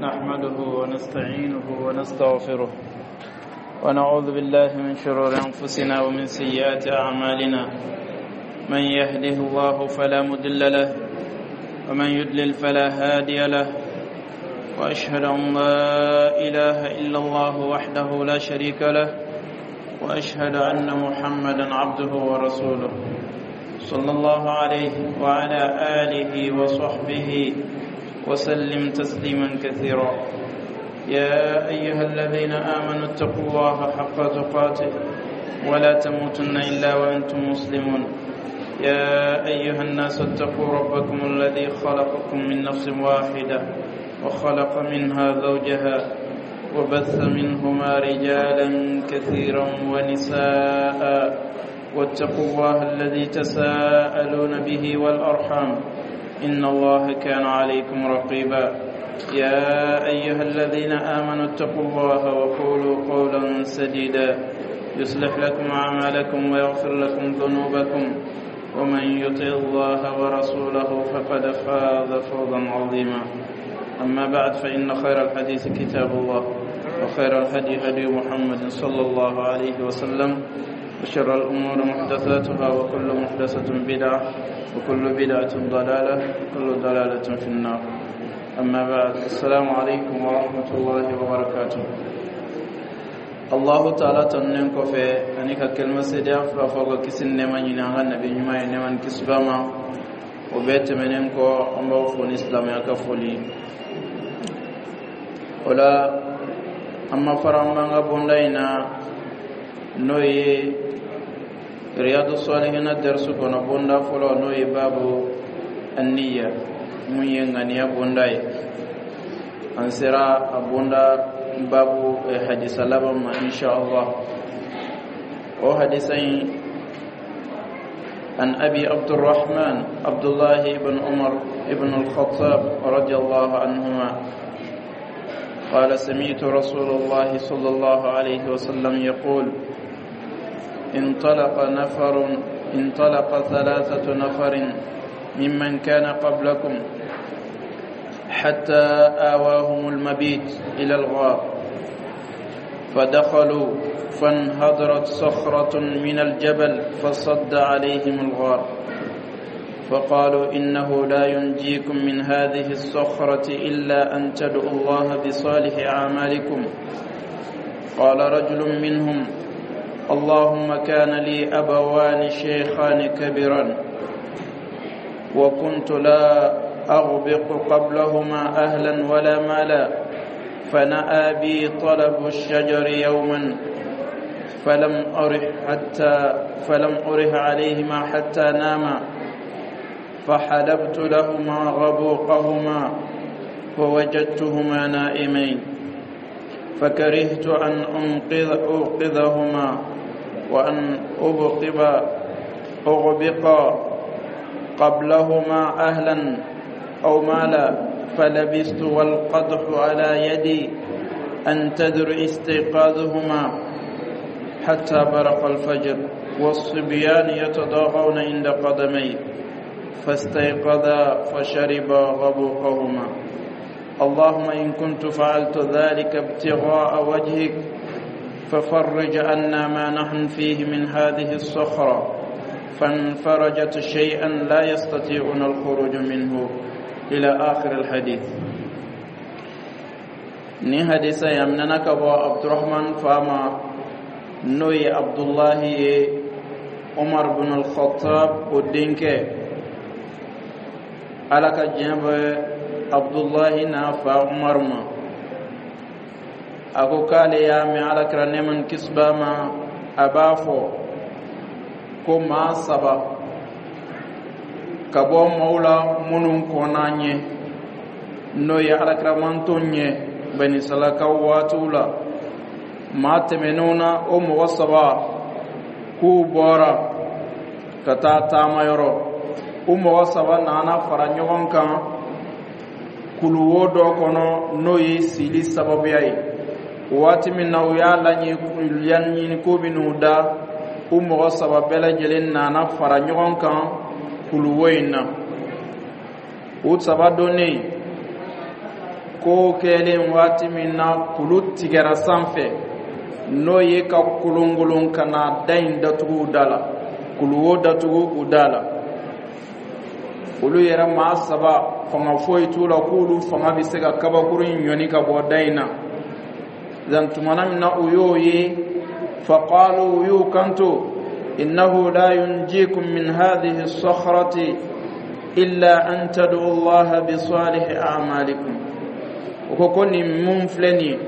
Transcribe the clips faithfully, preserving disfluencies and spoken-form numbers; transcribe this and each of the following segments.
نحمده ونستعينه ونستغفره ونعوذ بالله من شرور أنفسنا ومن سيئات أعمالنا. من يهده الله فلا مضل له ومن يضلل فلا هادي له، وأشهد أن لا إله إلا الله وحده لا شريك له، وأشهد أن محمدا عبده ورسوله صلى الله عليه وعلى آله وصحبه وسلم تسليما كثيرا. يا أيها الذين آمنوا اتقوا الله حق تقاته ولا تموتن إلا وأنتم مسلمون. يا أيها الناس اتقوا ربكم الذي خلقكم من نفس واحدة وخلق منها زوجها وبث منهما رجالا كثيرا ونساء، واتقوا الله الذي تساءلون به والأرحام إن الله كان عليكم رقيبا. يا أيها الذين آمنوا اتقوا الله وقولوا قولا سديدا يصلح لكم أعمالكم ويغفر لكم ذنوبكم، ومن يطع الله ورسوله فقد فاز فوزا عظيما. أما بعد، فإن خير الحديث كتاب الله، وخير الهدي هدي محمد صلى الله عليه وسلم، وشر الأمور محدثاتها، وكل محدثة بدعة، وكل بدعة ضلالة، وكل ضلالة في النار. أما بعد، السلام عليكم ورحمة الله وبركاته. الله تعالى tanunen kɔfɛ ani ka kelima seedeya fila fɔ ka kisi ni nɛɛma ɲini an ka nabi ɲuman ye, nɛɛma ni kisi b'a ma. O bɛɛ tɛmɛnen kɔ, an b'aw fo ni silamɛya ka foli. O la, an ma fara an b'an ka bonda in na, n'o ye Riyadu Salihina darisu kɔnɔ bonda fɔlɔ, n'o ye babu aniya, mun ye ŋaniya bonda ye. An sera a bonda babu hadisa laban ma, insha Allah. O hadisa in: عن أبي عبد الرحمن عبد الله بن عمر بن الخطاب رضي الله عنهما قال: سمعت رسول الله صلى الله عليه وسلم يقول: انطلق نفر انطلق ثلاثة نفر ممن كان قبلكم حتى آواهم المبيت إلى الغار، فدخلوا، فانهدرت صخرة من الجبل فصد عليهم الغار، فقالوا: إنه لا ينجيكم من هذه الصخرة إلا أن تدعوا الله بصالح أعمالكم. قال رجل منهم: اللهم كان لي أبوان شيخان كبيران، وكنت لا أغبق قبلهما أهلا ولا مالا، فنأى بي طلب الشجر يوما، فلم أرح حتى فلم أرح عليهما حتى ناما، فحلبت لهما غبوقهما فوجدتهما نائمين، فكرهت أن أنقذ أوقظهما وأن أبقب أغبق قبلهما أهلا أو مالا، فلبثت والقدح على يدي أنتظر استيقاظهما حتى برق الفجر، والصبيان يتضاغون عند قدمي، فاستيقظا فشربا غبوقهما. اللهم إن كنت فعلت ذلك ابتغاء وجهك ففرج عنا ما نحن فيه من هذه الصخرة. فانفرجت شيئا لا يستطيعون الخروج منه، إلى آخر الحديث. Ni hadisa ya minana ka bɔ Abdurahman fa ma, n'o ye Abdullahi ye, Umar bin al-Khattab o denkɛ. Ala ka diɲɛ bɛ Abdullahi n'a fa Umar ma. A ko k'ale y'a mɛn Alakira, nɛɛma ni kisi b'a ma, a b'a fɔ ko maa saba ka bɔ maaw la minnu kɔnna ɲɛ, n'o ye alakiramanton ɲɛ banisalakaw waatiw la, maa tɛmɛnenw na, o mɔgɔ saba k'u bɔra ka taa taamayɔrɔ. U mɔgɔ saba nana fara ɲɔgɔn kan kuluwo dɔ kɔnɔ, n'o ye sili sababuya ye. Waati min na u y'a laɲini ko bɛ da, u mɔgɔ saba bɛɛ lajɛlen nana fara ɲɔgɔn kan kuluwo in na. U saba donnen Ko kɛlen waati min na, kulu tigɛra sanfɛ, n'o ye ka kolonkolon ka na da in datugu u da la, kuluwo datugu u da la. Olu yɛrɛ maa saba, fanga foyi t'u la k'olu fanga bɛ se ka kabakuru in ɲɔni ka bɔ da in na. Zan tumana min na u y'o ye, faqalu, u y'u kanto: innahu la yunjikum min hadhihi as-sakhrati illa an tad'u Allah bi salihi a'malikum. O ko ko nin mun filɛ nin ye,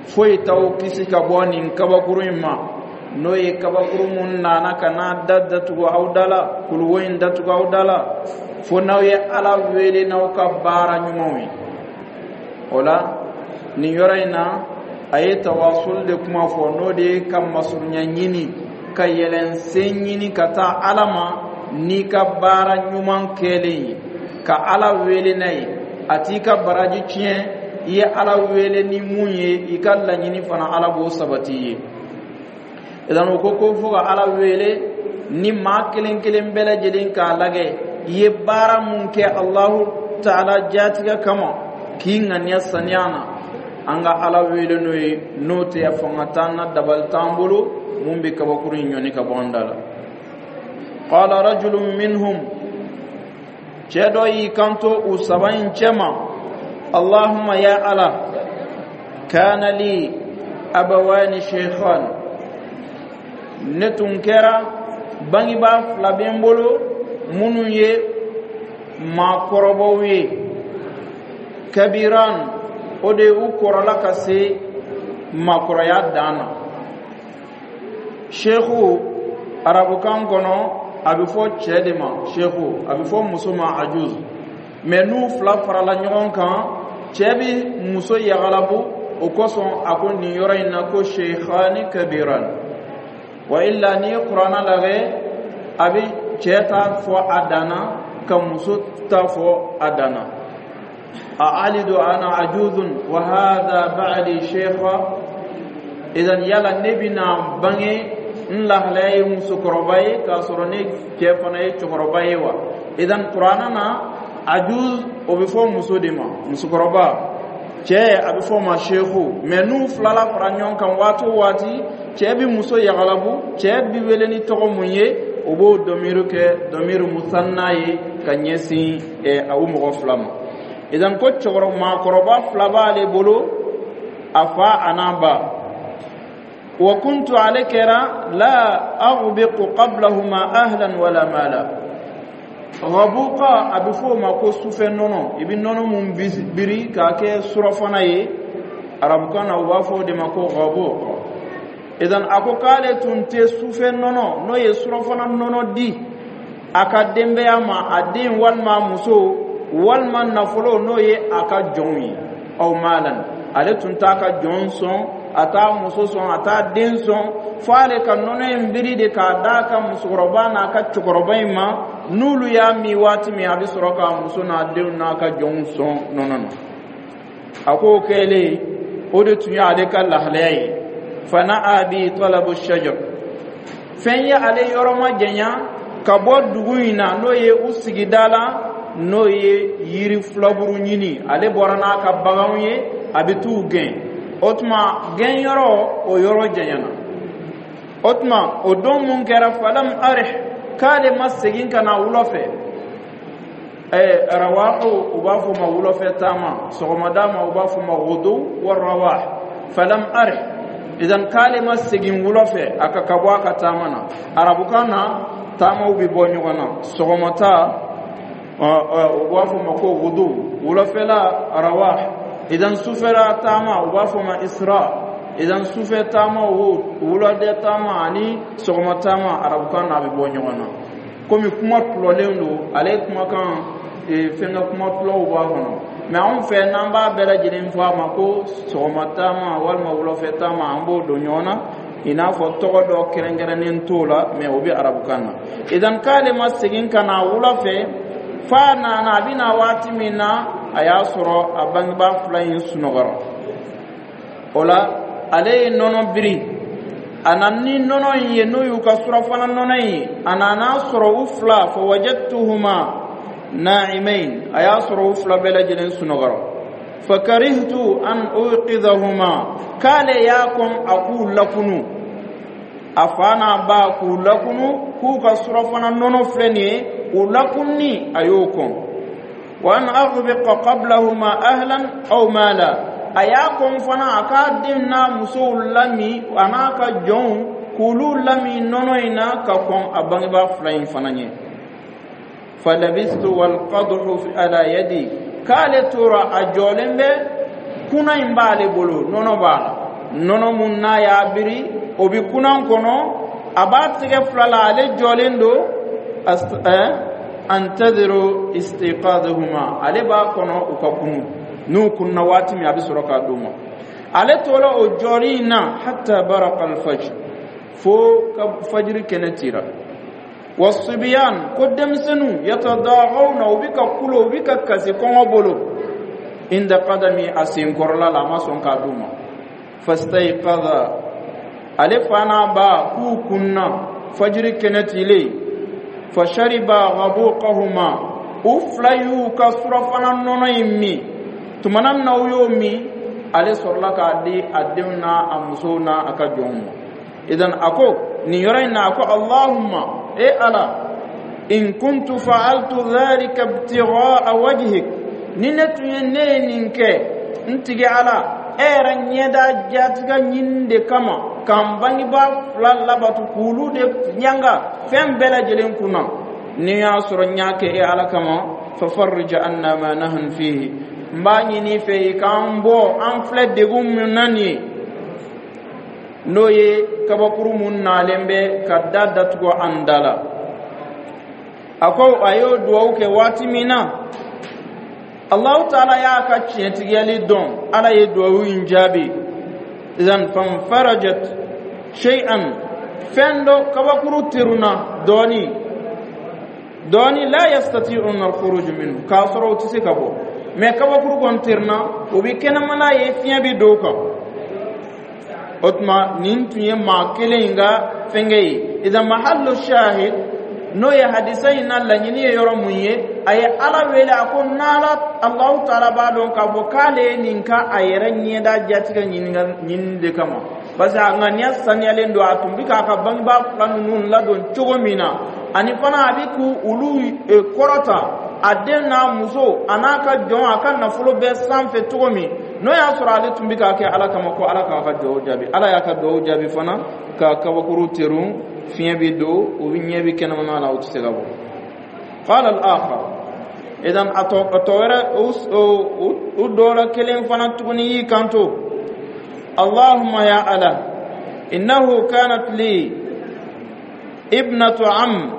foyi t'aw kisi ka bɔ nin kabakuru in ma, n'o ye kabakuru mun nana ka n'a da datugu aw da la, kuluwo in datugu aw da la, fo n'aw ye Ala wele n'aw ka baara ɲumanw ye. O la, nin yɔrɔ in na, a ye tawasul de kuma fɔ, n'o de ye ka masurunya ɲini, ka yɛlɛn sen ɲini ka taa Ala ma n'i ka baara ɲuman kɛlen ye, ka Ala wele n'a ye. A t'i ka baraji tiɲɛ. I ye Ala wele ni mun ye, i ka laɲini fana, Ala b'o sabati i ye. Idan o ko ko fo ka Ala wele ni maa kelen kelen bɛɛ lajɛlen k'a lajɛ i ye baara mun kɛ Alahu Taala jatigɛ kama, k'i ŋaniya saniya na, an ka Ala wele n'o ye. N'o tɛ, fanga t'an na, dabali t'an bolo mun bɛ kabakuru in ɲɔni ka bɔ an da la. Qala rajulun minhum, cɛ dɔ y'i kanto u saba in cɛma: Allahumma, ya Ala, kana li abawani shaykhan, ne tun kɛra bangebaa fila bɛ n bolo minnu ye maakɔrɔbaw ye. Kabiran, o de u kɔrɔla ka se maakɔrɔya dan na. Sheikhu, arabukan kɔnɔ, a bɛ fɔ cɛ de ma sheikhu, a bɛ fɔ muso ma ajuz. Mɛ n'u fila farala ɲɔgɔn kan, cɛ bɛ muso yagalabu. O kosɔn a ko nin yɔrɔ in na ko sheikhani kabiran. Wa illa, n'i ye Kuranna lajɛ, a bɛ cɛ ta fɔ a danna, ka muso ta fɔ a danna. A alidu ana ajuzun wa hadha ba'li sheikha. Idan yala ne bɛna bange n lahalaya ye musokɔrɔba ye, k'a sɔrɔ ne cɛ fana ye cɛkɔrɔba ye wa? Idan Kuranna na, ajuz, o bɛ fɔ muso de ma, musokɔrɔba. Cɛ, a bɛ fɔ o ma sheikhu. Mɛ n'u filala fara ɲɔgɔn kan waati o waati, cɛ bɛ muso yagalabu. Cɛ bɛ wele ni tɔgɔ mun ye, o b'o dɔmiru kɛ dɔmiru musanna ye ka ɲɛsin aw mɔgɔ fila ma. Idan ko cɛkɔrɔba, maakɔrɔba fila b'ale bolo, a fa a n'a ba. Wa kuntu, ale kɛra, la aghbiqu qablahuma ahlan wala mala. Ghabuqa, a bɛ fɔ o ma ko sufɛ nɔnɔ. I bɛ nɔnɔ mun biri k'a kɛ surɔfana ye, arabukan na u b'a fɔ o de ma ko ghabuqa. Idan a ko k'ale tun tɛ sufɛ nɔnɔ, n'o ye surɔfana nɔnɔ, di a ka denbaya ma, a den walima a muso walima nafolo, n'o ye a ka jɔnw ye. Aw malan, ale tun t'a ka jɔn sɔn, a t'a muso sɔn, a t'a den sɔn, fo ale ka nɔnɔ in biri de k'a d'a ka musokɔrɔba n'a ka cɛkɔrɔba in ma. N'olu y'a min waati min, a bɛ sɔrɔ k'a muso n'a denw n'a ka jɔnw sɔn nɔnɔ na. A k'o kɛlen, o de tun y'ale ka lahalaya ye. Fana bi talabu shajar, fɛn ye ale yɔrɔ ma janya ka bɔ dugu in na, n'o ye u sigida la, n'o ye yiri filaburu ɲini. Ale bɔra n'a ka baganw ye, a bɛ t'u gɛn. O tuma gɛn yɔrɔ, o yɔrɔ janyana. O tuma o don mun kɛra, falam arih, k'ale ma segin ka na wula fɛ. Ɛɛ rawahu, u b'a fɔ ma wulafɛ taama, sɔgɔmada ma u b'a fɔ ma gudu wa rawah. Falam arih, idan k'ale ma segin wula fɛ a ka ka bɔ a ka taama na. Arabukan na, taamaw bɛ bɔ ɲɔgɔn na. Sɔgɔmata, u b'a fɔ ma ko gudu, wulafɛla rawah. Idan sufɛla taama, u b'a fɔ ma isra. Idan sufɛ taama, o wuladɛ taama ani sɔgɔma taama, arabukan na a bɛ bɔ ɲɔgɔn na. Komi kuma tulɔlen don, ale kumakan fɛnkɛ kuma tulɔw b'a kɔnɔ. Mɛ anw fɛ, n'an b'a bɛɛ lajɛlen fɔ a ma ko sɔgɔma taama walima wulafɛ taama, an b'o don ɲɔgɔn na, i n'a fɔ tɔgɔ dɔ kɛrɛnkɛrɛnnen t'o la, mɛ o bɛ arabukan na. Idan k'ale ma segin ka na wula fɛ, f'a nana, a bɛna waati min na, a y'a sɔrɔ a bangebaa fila in sunɔgɔra. O la, ale ye nɔnɔ biri, a nana ni nɔnɔ in ye, n'o y'u ka surafana nɔnɔ in ye. A nana sɔrɔ u fila, fa wajadtuhuma na'imain, a y'a sɔrɔ u fila bɛɛ lajɛlen sunɔgɔra. Fakarihtu an uqidhahuma, k'ale y'a kɔn a k'u lakunu, a fa n'a ba k'u lakunu k'u ka surafana nɔnɔ filɛ nin ye, u lakunni a y'o kɔn. Wa an aghbiqa qablahuma ahlan aw mala, a y'a kɔn fana a k'a den n'a musow lami a n'a ka jɔnw k'olu lami nɔnɔ in na ka kɔn a bangebaa fila in fana ɲɛ. Falabistu walqadhu ala yadi, k'ale tora a jɔlen bɛ, kuna in b'ale bolo, nɔnɔ b'a la, nɔnɔ mun n'a y'a biri o bi kunan kɔnɔ, a b'a tɛgɛ fila la, ale jɔlen don, antadiru istiqadahuma, ale b'a kɔnɔ u ka kunu. N'u kunna waati min, a bɛ sɔrɔ k'a d'u ma. Ale tora o jɔli in na hatta baraqa alfajr, fo ka fajiri kɛnɛ tira. Wasibiyan, ko denmisɛnninw, yatadagawna, u bi ka kulo, u bi ka kasi kɔngɔ bolo, inda qadami, a senkɔrɔla la, a ma sɔn k'a d'u ma. Fastayqadha, ale fa n'a ba k'u kunna fajiri kɛnɛ tilen. Fashariba ghabuqahuma, u fila y'u ka surafana nɔnɔ in min. Tumana min na u y'o min, ale sɔrɔla k'a di a denw n'a a musow n'a a ka jɔnw ma. Idan a ko nin yɔrɔ in na, a ko: Allahumma, e Ala, in kuntu fa'altu dhalika ibtigha'a wajhik, ni ne tun ye ne ye nin kɛ, n tigi Ala, e yɛrɛ ɲɛda jatigɛ ɲini de kama, k'an bangebaa fila labatu k'olu de ɲanga fɛn bɛɛ lajɛlen kunna, ni y'a sɔrɔ n y'a kɛ e Ala kama, fafarrij anna ma nahnu fihi, n b'a ɲini i fɛ i k'an bɔ an filɛ degun min na nin ye, n'o ye kabakuru mun nalen bɛ ka da datugu an da la. A ko a y'o duwawu kɛ waati min na, Allahu taala y'a ka tiɲɛtigiyali dɔn, Ala ye duwawu in jaabi. Idan fanfarajat shay'an, fɛn dɔ kabakuru teruna dɔɔni dɔɔni, la yastati'una al-khuruj minhu, k'a sɔrɔ u tɛ se ka bɔ, mɛ kabakuru kɔni teruna, u bɛ kɛnɛmana ye, fiɲɛ bɛ don o kan. O tuma nin tun ye maa kelen in ka fɛnkɛ ye. Idan mahallu shahid, n'o ye hadisa in na laɲini ye yɔrɔ mun ye, a ye Ala wele, a ko n'Ala Alahu taala b'a dɔn k'a fɔ k'ale ye nin ka a yɛrɛ ɲɛda jatigɛ ɲinini de kama, parce que a ŋaniya saniyalen don, a tun bɛ k'a ka bangebaa fila ninnu ladon cogo min na, ani fana a bɛ k'u olu kɔrɔta a den n'a muso a n'a ka jɔn a ka nafolo bɛɛ sanfɛ cogo min, n'o y'a sɔrɔ ale tun bɛ k'a kɛ Ala kama, ko Ala k'a ka duwawu jaabi. Ala y'a ka duwawu jaabi fana, ka kabakuru terun, fiɲɛ bɛ don, u bɛ ɲɛ bɛ kɛnɛmana la, u tɛ se ka bɔ. Qala al-akhar, idan a tɔ a tɔ wɛrɛ, u dɔ la kelen fana tuguni y'i kanto: Allahumma, ya Ala, innahu kanat li ibnatu am,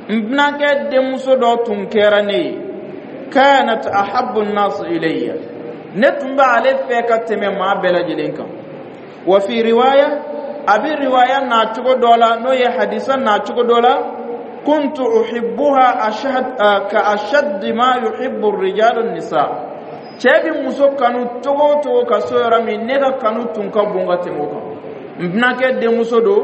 n binankɛ denmuso dɔ tun kɛra ne ye, kanat ahabbu an-nas ilayya, ne tun bɛ ale fɛ ka tɛmɛ maa bɛɛ lajɛlen kan. Wa fi riwaya, a bɛ riwaya n'a cogo dɔ la, n'o ye hadisa n'a cogo dɔ la, kuntu uhibbuha ashad ka ashadd ma yuhibbu ar-rijalu an-nisa, cɛ bɛ muso kanu cogo o cogo ka so yɔrɔ min, ne ka kanu tun ka bon ka tɛmɛ o kan. N binankɛ denmuso don,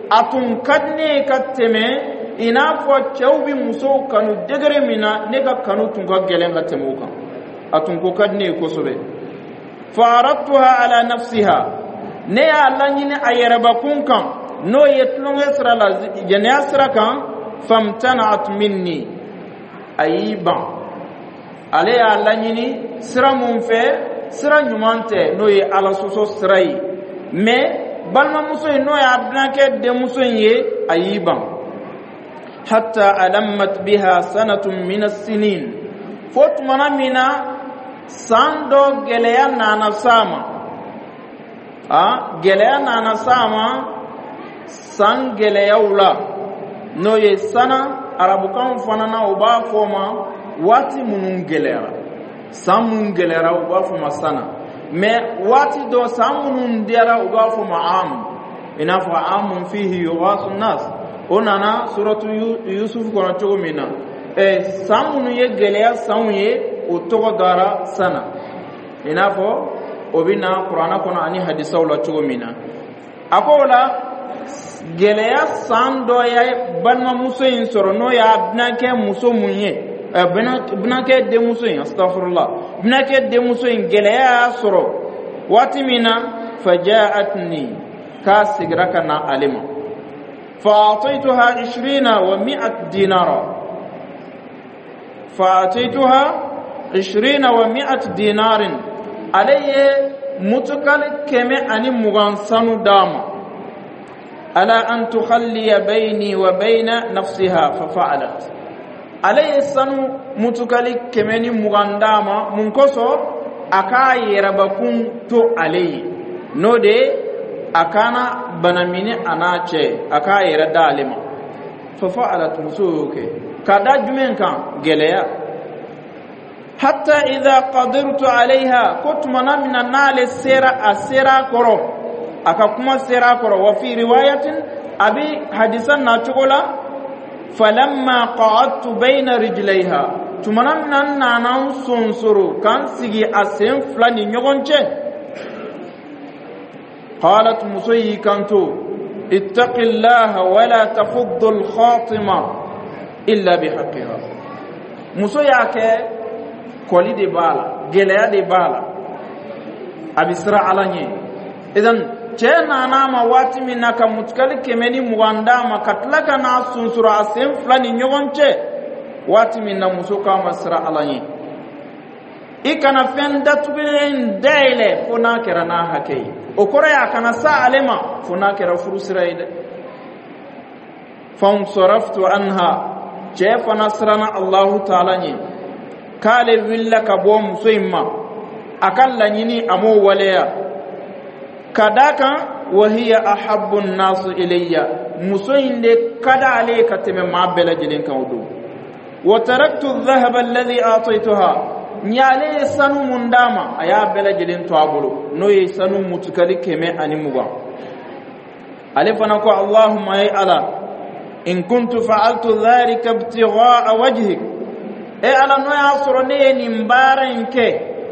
a tun ka di ne ye ka tɛmɛ i n'a fɔ cɛw bɛ musow kanu degré min na, ne ka kanu tun ka gɛlɛn ka tɛmɛ o kan, a tun ko ka di ne ye kosɛbɛ. Fa aradtuha ala nafsiha, ne y'a laɲini a yɛrɛbakun kan, n'o ye tulonkɛ sira la, jɛnɛya sira kan. Famtana'at minni, a y'i ban. Ale y'a laɲini sira mun fɛ, sira ɲuman tɛ, n'o ye Ala sɔsɔ sira ye, mɛ balimamuso in, n'o y'a binankɛ denmuso in ye, a y'i ban. Hatta alammat biha sanatun min as-sinin, fo tumana min na san dɔ gɛlɛya nana s'a ma, a gɛlɛya nana s'a ma san gɛlɛyaw la, n'o ye sana arabukan fana na, u b'a fɔ ma waati minnu gɛlɛyara, san minnu gɛlɛyara, u b'a fɔ ma sana. Mɛ waati dɔ, san minnu diyara, u b'a fɔ ma am, i n'a fɔ amun fihi yughasu nas, o nana suratu Yusuf kɔnɔ cogo min na. Ɛ san minnu ye gɛlɛya sanw ye, o tɔgɔ dara sana, i n'a fɔ o bɛ na Kuranɛ kɔnɔ ani hadisaw la cogo min na. A ko o la, gɛlɛya san dɔ ye balimamuso in sɔrɔ, n'o y'a binankɛ muso mun ye, Binankɛ denmuso in, astafurlah, binankɛ denmuso in gɛlɛya y'a sɔrɔ waati min na, fajaatni, k'a segira ka na ale ma, فأعطيتها عشرين ومئة دينارا، فأعطيتها عشرين ومئة دينار، ale ye mutukali kɛmɛ ani mugan sanu d'a ma, على أن تخلي بيني وبين نفسها، ففعلت. Ale ye sanu mutukali kɛmɛ ni mugan d'a ma mun kosɔn? A k'a yɛrɛbakun to ale ye, n'o de ye a kana banamini a n'a cɛ, a k'a yɛrɛ da ale ma. ففعلت, muso y'o kɛ ka da jumɛn kan? Gɛlɛya. حتى إذا قدرت عليها, ko tumana min na n'ale sera a sera a kɔrɔ, a ka kuma sera a kɔrɔ. وفي رواية, a bi hadisa na cogo la, فلما قعدت بين رجليها, tumana min na n nana n sonsoro k'an sigi a sen fila ni ɲɔgɔn cɛ, قالت, muso y'i kanto, اتق الله ولا تفض الخاتم إلا بحقها. Muso y'a kɛ kɔli de b'a la, gɛlɛya de b'a la, a bɛ siran Ala ɲɛ. Idan cɛ nana ma waati min na ka mutukali kɛmɛ ni mugan d'a ma, ka tila ka n'a sunsoro a sen fila ni ɲɔgɔn cɛ waati min na, muso k'a ma siran Ala ɲɛ, i kana fɛn datugulen dayɛlɛ fo n'a kɛra n'a hakɛ ye. O kɔrɔ ye a kana sa ale ma fo n'a kɛra furu sira ye dɛ. فانصرفت عنها, cɛ fana siranna Allahu taala ɲɛ, k'ale wulila ka bɔ muso in ma, a ka laɲini a m'o waleya, ka d'a kan وهي أحب الناس إلي, muso in de ka d'ale ye ka tɛmɛ maa bɛɛ lajɛlen kan o don. وتركت الذهب الذي أعطيتها, n y'ale ye sanu mun d'a ma, a y'a bɛɛ lajɛlen to a bolo, n'o ye sanu mutukali kɛmɛ ani mugan. Ale fana ko, اللهم, ye Ala, إن كنت فعلت ذلك ابتغاء وجهك, e Ala, n'o y'a sɔrɔ ne ye nin baara in kɛ,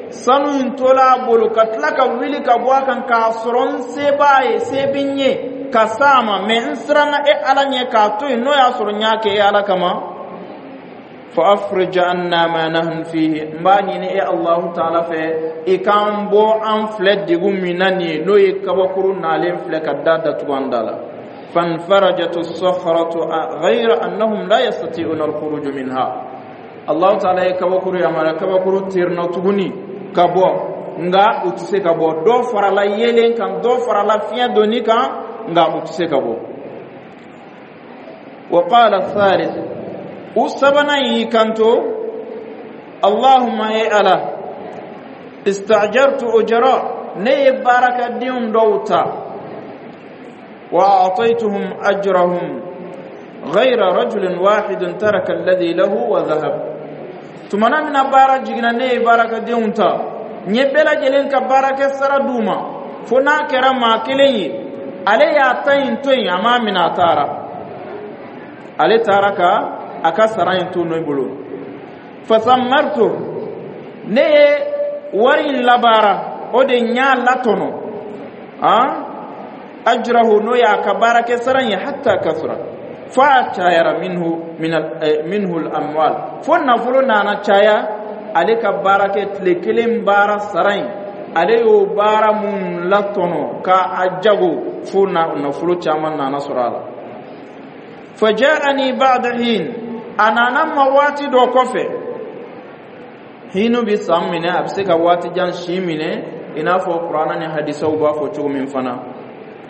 sanu in tola a bolo ka tila ka wuli ka bɔ a kan k'a sɔrɔ n se b'a ye, se bɛ n ye ka s'a ma, mɛ n siranna e Ala ɲɛ k'a to yen, n'o y'a sɔrɔ n y'a kɛ e Ala kama, فأفرج عنا ما نحن فيه, n b'a ɲini e Allahu taala fɛ, i k'an bɔ an filɛ degun min na nin ye, n'o ye kabakuru nalen filɛ ka da datugu an da la. فانفرجت الصخرة غير أنهم لا يستطيعون الخروج منها. Allahu taala ye kabakuru yamaruya, kabakuru terina tuguni ka bɔ, nka u tɛ se ka bɔ. Dɔ farala yeelen kan, dɔ farala fiɲɛ donni kan, nka u tɛ se ka bɔ. وقال الثالث, u sabanan y'i kanto, اللهم, e Ala, استأجرت أجراء, ne ye baarakɛdenw dɔw ta, وأعطيتهم أجرهم غير رجل واحد ترك الذي له وذهب. Tumana min na baara jiginna, ne ye baarakɛdenw ta, n ye bɛɛ lajɛlen ka baarakɛ sara d'u ma, fo n'a kɛra maa kelen ye, ale y'a ta in to yen, a m'a minɛ, a taara, ale taara ka a ka sara in to ne bolo. فثمرت, ne ye wari in labaara, o de n y'a latɔnɔ han, أجره, n'o y'a ka baarakɛ sara in ye, حتى كثر, f'a cayara, منه من منه الأموال, fo nafolo nana caya. Ale ka baarakɛ tile kelen baara sara in, ale y'o baara mun latɔnɔ ka a jago, fo nafolo caman nana sɔrɔ a la. فجاءني بعد حين, a nana ma waati dɔ kɔfɛ. Hinu bi san minɛ, a bɛ se ka waati jan si minɛ, i n'a fɔ kuranna ni hadisaw b'a fɔ cogo min fana.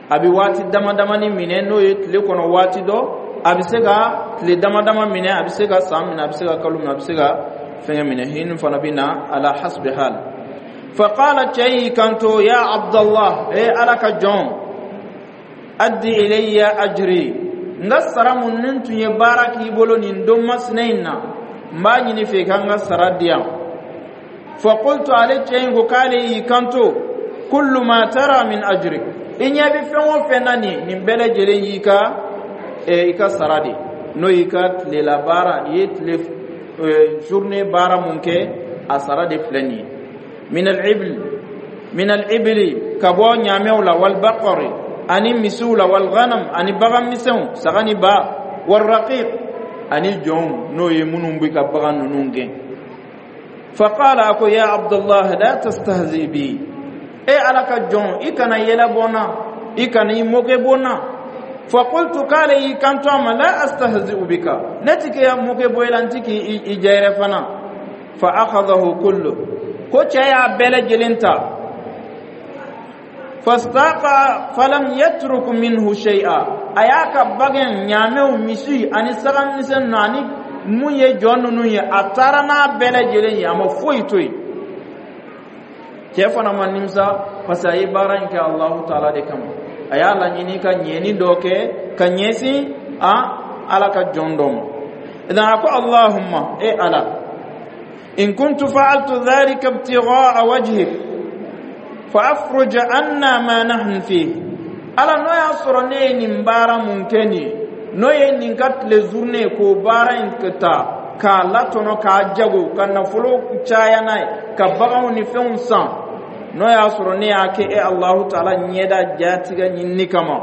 A bɛ waati dama damani minɛ, n'o ye tile kɔnɔ waati dɔ, a bɛ se ka tile dama dama minɛ, a bɛ se ka san minɛ, a bɛ se ka kalo minɛ, a bɛ se ka fɛngɛ minɛ. Hinu fana bɛ na على حسب حال. فقال, cɛ y'i kanto, يا عبد الله, e Ala ka jɔn, أد إلي أجري, n ka sara mun ni tun ye baara k'i bolo nin don masina in na, n b'a ɲini fɛ i ka n ka sara di yan. فقلت, ale cɛ in ko k'ale y'i kanto, كل ما ترى من أجرك, i ɲɛ bɛ fɛn o fɛn na nin, nin bɛɛ lajɛlen y'i ka i ka sara de, n'o y'i ka tilela baara, i ye tile journée baara mun kɛ, a sara de filɛ nin ye. من الإبل من الإبل, ka bɔ ɲaamɛw la, والبقر, ani misiw la, والغنم, ani bagan misɛnw, saga ni ba, والرقيق. Ani jɔnw, n'o ye minnu bɛ ka bagan ninnu gɛn. Faqala, a ko: "Ya Abdullah, la tastahzi bi." E Ala ka jɔn, i kana yɛlɛ bɔ n na, i kana i moke bɔ n na. Faqultu, k'ale y'i kanto a ma: "La astahzi'u bika." Ne ti k'i moke bɔ i la, n ti k'i i jɛyɛrɛ fana. Fa akhadahu kullu, ko cɛ y'a bɛɛ lajɛlen ta. Fastaqa falam yatruk minhu shay'a. A y'a ka bagan, ɲaamɛw, misi ani saga misɛn ninnu ani mun ye jɔn ninnu ye, a taara n'a bɛɛ lajɛlen ye, a ma foyi to yen. Cɛ fana ma nimisa, parce que a ye baara in kɛ Alahu Taala de kama. A y'a laɲini ka ɲɛni dɔ kɛ ka ɲɛsin a Ala ka jɔn dɔ ma. Idan a ko: "Allahumma, e Ala, in kuntu fa'altu dhalika ibtigha'a wajhik, fa afruj anna ma nahnu fihi." Ala, n'o y'a sɔrɔ ne ye nin baara mun kɛ nin ye, n'o ye nin ka tile journée k'o baara in ta k'a latɔnɔ, k'a jago, ka nafolo caya n'a ye, ka baganw ni fɛnw san, n'o y'a sɔrɔ ne y'a kɛ e Alahu Taala ɲɛda jatigɛ ɲinini kama,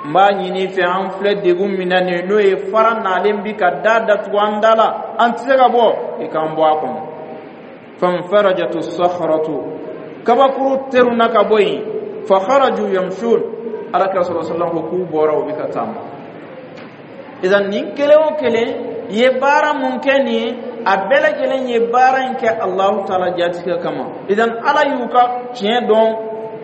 n b'a ɲini fɛ, an filɛ degun min na nin ye, n'o ye fara nalen bi ka da datugu an da la, an tɛ se ka bɔ, i k'an bɔ a kɔnɔ. Fanfarajatu sakharatu, kabakuru teruna ka bɔ yen. Fa kharaju yamshun. Ala kira sɔrɔ sallam ko k'u bɔra, u bɛ ka taama. Idan nin kelen o kelen ye baara mun kɛ nin ye, a bɛɛ lajɛlen ye baara in kɛ Alahu Taala jatigɛ kama. Idan Ala y'u ka tiɲɛ dɔn,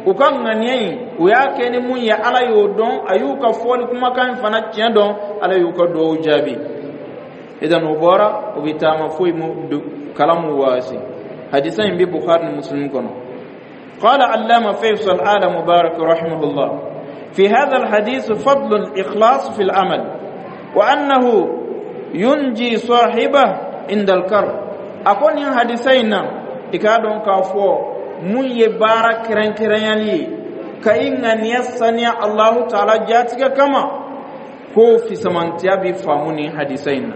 u ka ŋaniya in, u y'a kɛ ni mun ye, Ala y'o dɔn. A y'u ka fɔli kumakan in fana tiɲɛ dɔn, Ala y'u ka duwawu jaabi. Idan u bɔra, u bɛ taama, foyi mu kalamu waasi. Hadisa in bɛ Bukhari ni Muslim kɔnɔ. قال علامة فيصل آل مبارك رحمه الله: في هذا الحديث فضل الإخلاص في العمل، وأنه ينجي صاحبه عند الكرب. أكون حديثين إكادون كافو mun ye baara kɛrɛnkɛrɛnyali ye ka i ŋaniya saniya Allahu Taala jatigɛ kama, ko fisamantiya bi faamu nin hadisa in na.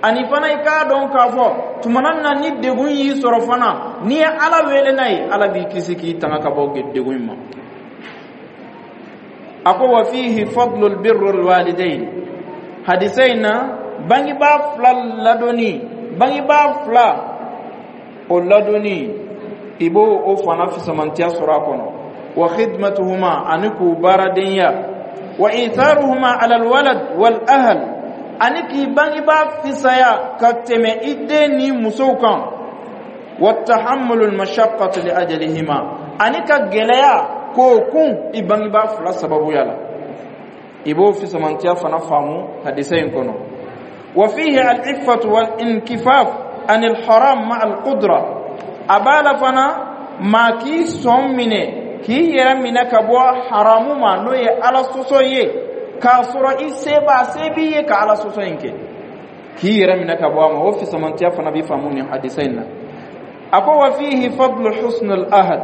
Ani fana, i k'a dɔn k'a fɔ tumana na ni degun y'i sɔrɔ fana, n'i ye Ala wele n'a ye, Ala b'i kisi k'i tanga ka bɔ degun in ma. A ko: wa fihi fadlul birrul walidain. Hadisa in na, bangebaa fila ladonni, bangebaa fila o ladonni, i b'o o fana fisamantiya sɔrɔ a kɔnɔ. Wa khidmatuhuma, ani k'u baaradenya. Wa itharuhuma ala alwalad wal ahl, ani k'i bangebaa fisaya ka tɛmɛ i den ni musow kan. Wa tahammulu almashaqqati li ajalihima, ani ka gɛlɛya k'o kun i bangebaa fila sababuya la, i b'o fisamantiya fana faamu hadisa in kɔnɔ. Wa fihi al-iffatu wal inkifaf anil haram ma al-qudra. A b'a la fana, maa k'i sɔn minɛ, k'i yɛrɛ minɛ ka bɔ haramu ma, n'o ye Ala sɔsɔ ye, k'a sɔrɔ i se b'a se b'i ye ka Ala sɔsɔ in kɛ, k'i yɛrɛ minɛ ka bɔ a ma, o fisamantiya fana bɛ faamu nin hadisa in na. A ko: wa fihi fadlu husn al ahd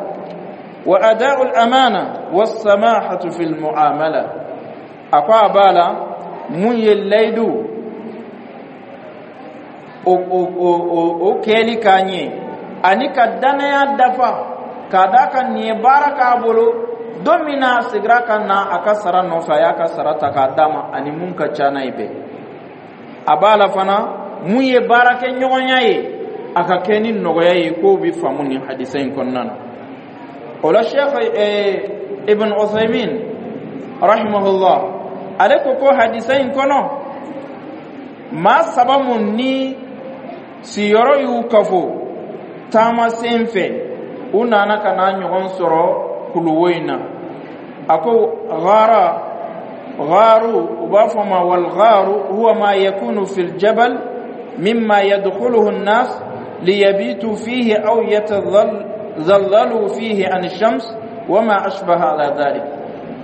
wa ada'u al amana was samahatu fil muamala. A ko a b'a la mun ye layidu o o o o kɛli k'a ɲɛ, ani ka danaya dafa, k'a d'a kan nin ye baara k'a bolo, don min na a seginna ka na a ka sara nɔfɛ, a y'a ka sara ta k'a d'a ma, ani mun ka ca n'a ye bɛɛ. A b'a la fana mun ye baarakɛ ɲɔgɔnya ye, a ka kɛ ni nɔgɔya ye, k'o bɛ faamu nin hadisa in kɔnɔna na. O la, Sheikh Ibn Uthaymin rahimahullah, ale ko ko hadisa in kɔnɔ, maa saba mun ni siyɔrɔ y'u kafo taama sen fɛ, u nana ka na ɲɔgɔn sɔrɔ kuluwo in na. A ko ghara, gharu, u b'a fɔ ma wal gharu huwa ma yakunu fil jabal mimma yadkhuluhu an-nas liyabitu fihi aw yatadhallalu fihi an ash-shams wa ma ashbaha ala dhalik.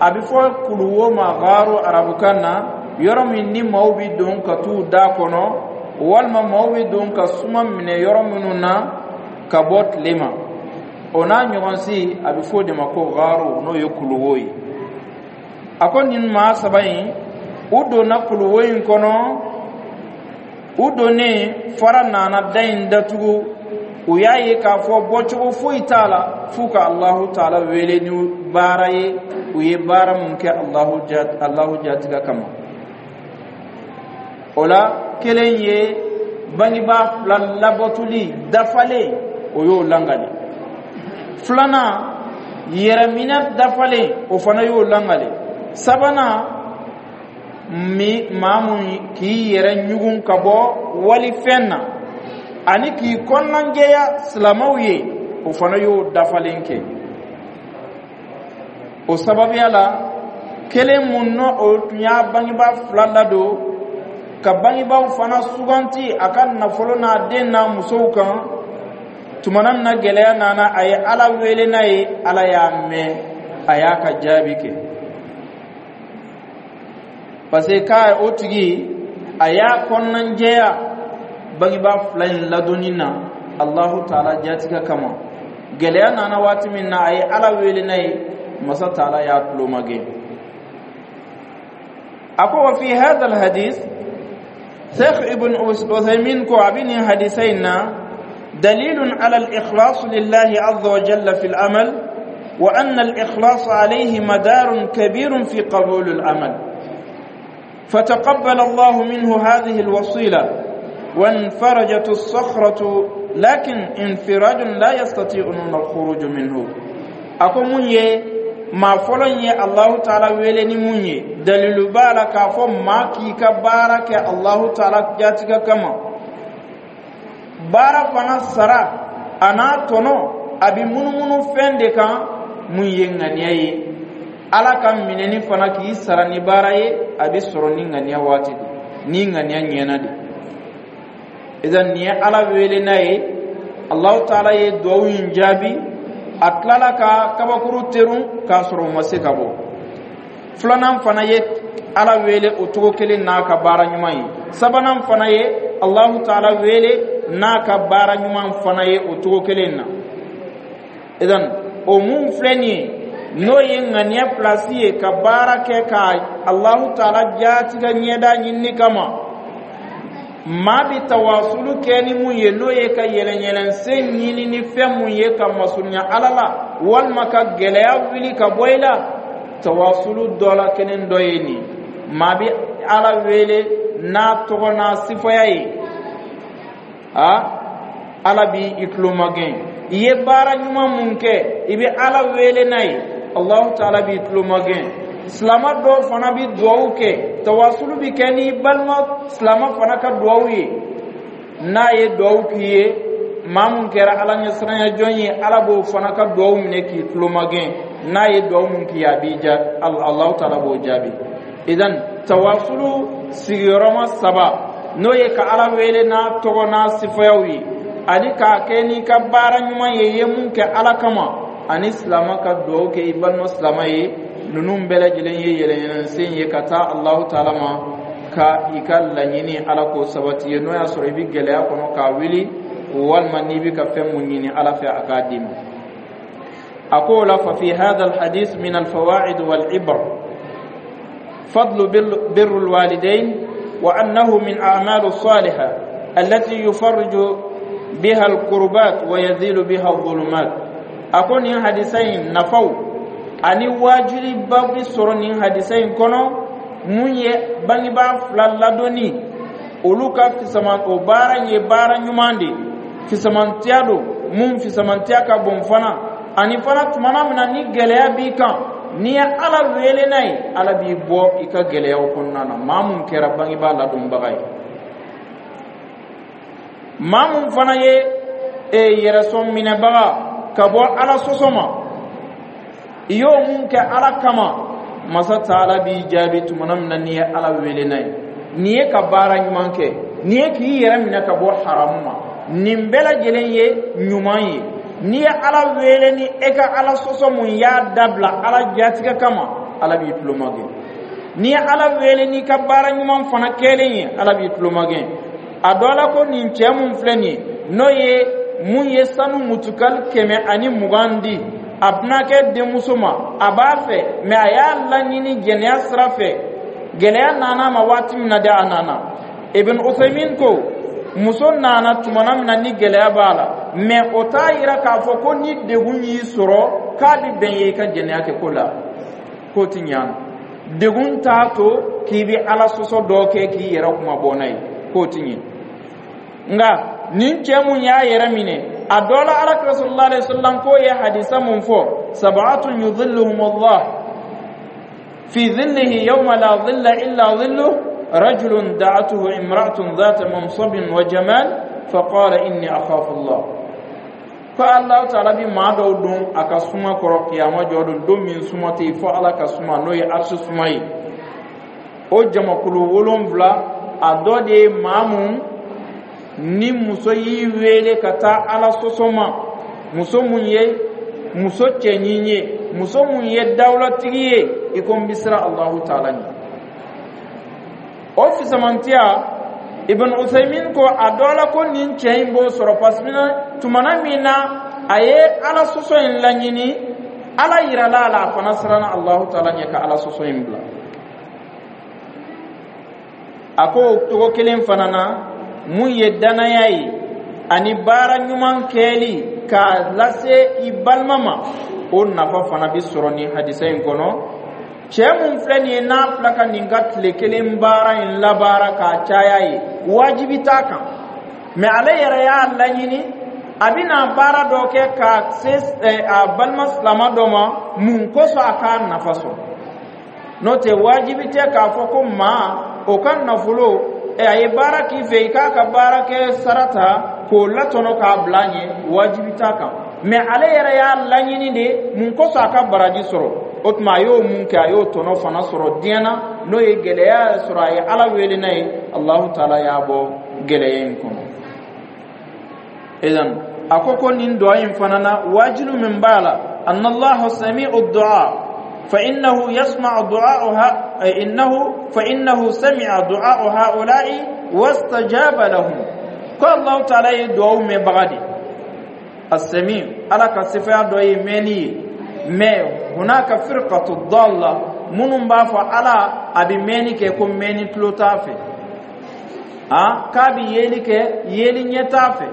A bɛ fɔ kuluwo ma gharu arabukan na, yɔrɔ min ni maaw bɛ don ka t'u da kɔnɔ, walima maaw bɛ don ka suma minɛ yɔrɔ minnu na ka bɔ tile ma, o n'a ɲɔgɔn si, a bɛ fɔ o de ma ko gharu, n'o ye kuluwo ye. A ko nin maa saba in, u donna kuluwo in kɔnɔ. U donnen, fara nana da in datugu. U y'a ye k'a fɔ bɔcogo foyi t'a la f'u ka Alahu Taala wele ni baara ye, u ye baara mun kɛ Alahu jatigɛ kama. O la, kelen ye bangebaa fila labatoli dafalen, o y'o langali. Filanan, yɛrɛminɛ dafalen, o fana y'o langali. Sabanan, mi maa mun k'i yɛrɛ ɲugun ka bɔ walifɛn na ani k'i kɔnɔnajɛya silamɛw ye, o fana y'o dafalen kɛ. O sababuya la, kelen mun n'o o tun y'a bangebaa fila ladon, ka bangebaaw fana suganti a ka nafolo n'a den n'a musow kan, tumana min na gɛlɛya nana, a ye Ala wele n'a ye, Ala y'a mɛn, a y'a ka jaabi kɛ, parce que k'a o tigi a y'a kɔnɔnajɛya bangebaa fila in ladonni na Alahu Taala jatigɛ kama. Gɛlɛya nana waati min na, a ye Ala wele n'a ye, Masa Taala y'a tulo magɛn. A ko wa fi hadha alhadith, Sheikh Ibn Uthaymin ko a bɛ nin hadisa in na دليل على الإخلاص لله عز وجل في العمل، وأن الإخلاص عليه مدار كبير في قبول العمل، فتقبل الله منه هذه الوصيلة وانفرجت الصخرة، لكن انفراج لا يستطيعون الخروج منه. A ko mun ye maa fɔlɔ ye Allahu Taala wele ni mun ye, dalilu b'a la k'a fɔ maa k'i ka baara kɛ Allahu Taala jatigɛ kama. Baara fana sara a n'a tɔnɔ, a bɛ munumunu fɛn de kan mun ye ŋaniya ye. Ala ka minɛni fana k'i sara ni baara ye, a bɛ sɔrɔ ni ŋaniya waati de, ni ŋaniya ɲɛna de. Idan nin ye Ala wele n'a ye, Allahu Taala ye duwawu in jaabi. A tilala ka kabakuru terun k'a sɔrɔ o ma se ka bɔ. Filanan fana ye Ala wele o cogo kelen n'a ka baara ɲuman ye. Sabanan fana ye Allahu Taala wele n'a ka baara ɲuman fana ye o cogo kelen na. Idan o mun filɛ nin ye, n'o ye ŋaniya pilasi ye, ka baara kɛ ka Allahu Taala jatigɛ ɲɛda ɲinini kama, maa bi tawasulu kɛ ni mun ye, n'o ye ka yɛlɛnyɛlɛnsen ɲini ni fɛn mun ye ka masurunya Ala la walima ka gɛlɛya wuli ka bɔ i la, tawasulu dɔ la kelen dɔ ye nin. Maa bi Ala wele n'a tɔgɔ n'a sifaya ye, a Ala bi i tulomagɛn. I ye baara ɲuman mun kɛ, i bɛ Ala wele n'a ye, Allahu Taala b'i tulomagɛn. Silama dɔw fana bi duwawu kɛ, tawasulu bi kɛ ni balima silama fana ka duwawu ye. N'a ye duwawu k'i ye, maa mun kɛra Ala ɲɛsiranya jɔn ye, Ala b'o fana ka duwawu minɛ k'i tulomagɛn. N'a ye duwawu mun k'i ye, a b'i ja, Allahu Taala b'o jaabi. Idan tawasulu sigiyɔrɔma saba, n'o ye ka Ala wele n'a tɔgɔ n'a sifayaw ye, ani k'a kɛ n'i ka baara ɲuman ye, i ye mun kɛ Ala kama, ani silama ka duwawu kɛ i balima silama ye, ninnu bɛɛ lajɛlen ye yɛlɛyɛlɛnsen ye ka taa Alahu Taala ma ka i ka laɲini Ala k'o sabati ye, n'o y'a sɔrɔ i bɛ gɛlɛya kɔnɔ k'a wuli, walima n'i bɛ ka fɛn mun ɲini Ala fɛ, a k'a d'i ma. A ko o la fa fi hadha alhadith min alfawaid walibr فضل بر الوالدين، وأنه من أعمال الصالحة التي يفرج بها الكربات ويزيل بها الظلمات. A ko nin hadisa in nafaw ani wajuliba bi sɔrɔ nin hadisa in kɔnɔ, mun ye bangebaa fila ladonni, olu ka fisaman, o baara ye baara ɲuman de, fisamantiya don mun fisamantiya ka bon fana. Ani fana, tumana min na ni gɛlɛya b'i kan, n'i ye Ala wele n'a ye, Ala b'i bɔ i ka gɛlɛyaw kɔnɔna na. Maa mun kɛra bangebaa ladonbaga ye, maa mun fana ye e yɛrɛsɔn minɛbaga ka bɔ Ala sɔsɔ ma, i y'o mun kɛ Ala kama, Masa Taala b'i jaabi tumana min na n'i ye Ala wele n'a ye. Nin ye ka baara ɲuman kɛ, nin ye k'i yɛrɛ minɛ ka bɔ haramu ma, nin bɛɛ lajɛlen ye ɲuman ye. N'i ye Ala wele ni e ka Ala sɔsɔ mun y'a dabila Ala jatigɛ kama, Ala b'i tulomagɛn. N'i ye Ala wele n'i ka baara ɲuman fana kɛlen ye, Ala b'i tulomagɛn. A dɔ la ko nin cɛ mun filɛ nin ye, n'o ye mun ye sanu mutukali kɛmɛ ani mugan di a bɛnakɛ denmuso ma, a b'a fɛ mɛ a y'a laɲini jɛnɛya sira fɛ, gɛlɛya nana ma waati min na de, a nana. Ibn Uthaymin ko muso nana tumana min na ni gɛlɛya b'a la, mɛ o t'a yira k'a fɔ ko ni degun y'i sɔrɔ k'a bɛ bɛn ye i ka jɛnɛya kɛ ko la, k'o ti ɲa. Degun t'a to k'i bɛ Ala sɔsɔ dɔ kɛ k'i yɛrɛ kuma bɔ n'a ye, k'o ti ɲɛ. Nka nin cɛ mun y'a yɛrɛ minɛ a dɔ la, Ala kira sallallahu alaihi wasallam k'o ye hadisa mun fɔ: sab'atun yudhilluhum Allah fi dhillihi yawma la dhilla illa dhilluh, rajulun da'atuhu imra'atun dhata mansabin wa jamal faqala inni akhafu Allah. Ko Allah taala bi maa dɔw don a ka suma kɔrɔ kiyama jɔ don, don min suma tɛ yen fo Ala ka suma, n'o ye arisi suma ye. O jamakulu wolonfila, a dɔ de ye maa mun ni muso y'i wele ka taa Ala sɔsɔ ma, muso mun ye muso cɛɲin ye, muso mun ye dawulatigi ye, i ko n bɛ siran Alahu taala ɲɛ. O fisamantiya, Ibn Uthaymin ko a dɔ la ko nin cɛ in b'o sɔrɔ, parce que tumana min na a ye Ala sɔsɔ in laɲini, Ala yirala a la, a fana siranna Alahu taala ɲɛ ka Ala sɔsɔ in bila. A ko o cogo kelen fana na, mun ye danaya ye ani baara ɲuman kɛli k'a lase i balima ma, o nafa fana bi sɔrɔ nin hadisa in kɔnɔ. Cɛ mun filɛ nin ye, n'a filɛ ka nin ka tile kelen baara in labaara k'a caya ye, wajibi t'a kan, mɛ ale yɛrɛ y'a laɲini, a bɛna baara dɔ kɛ ka se a balima silama dɔ ma. Mun kosɔn? A k'a nafa sɔrɔ. N'o tɛ, wajibi tɛ k'a fɔ ko maa o ka nafolo, a ye baara k'i fɛ, i k'a ka baara kɛ sara ta k'o latɔnɔ k'a bila ɲɛ, wajibi t'a kan. Mɛ ale yɛrɛ y'a laɲini de. Mun kosɔn? A ka baraji sɔrɔ. O tuma a y'o mun kɛ, a y'o tɔnɔ fana sɔrɔ diɲɛ na, n'o ye gɛlɛya sɔrɔ, a ye Ala wele n'a ye, Alahu taala y'a bɔ gɛlɛya in kɔnɔ. Idan a ko ko nin du'a in fana na, wajilu min b'a la, anna Allaha sami'u du'a فإنه يسمع دعاء إنه فإنه سمع دعاء هؤلاء واستجاب لهم. قال الله تعالى يدعو من بغدي السميع. على كصفة دعاء مني ما هناك فرقة الضالة minnu b'a fɔ Ala a bɛ mɛnni kɛ ko mɛnni tulo t'a fɛ, a k'a bɛ yeli kɛ, yeli ɲɛ t'a fɛ,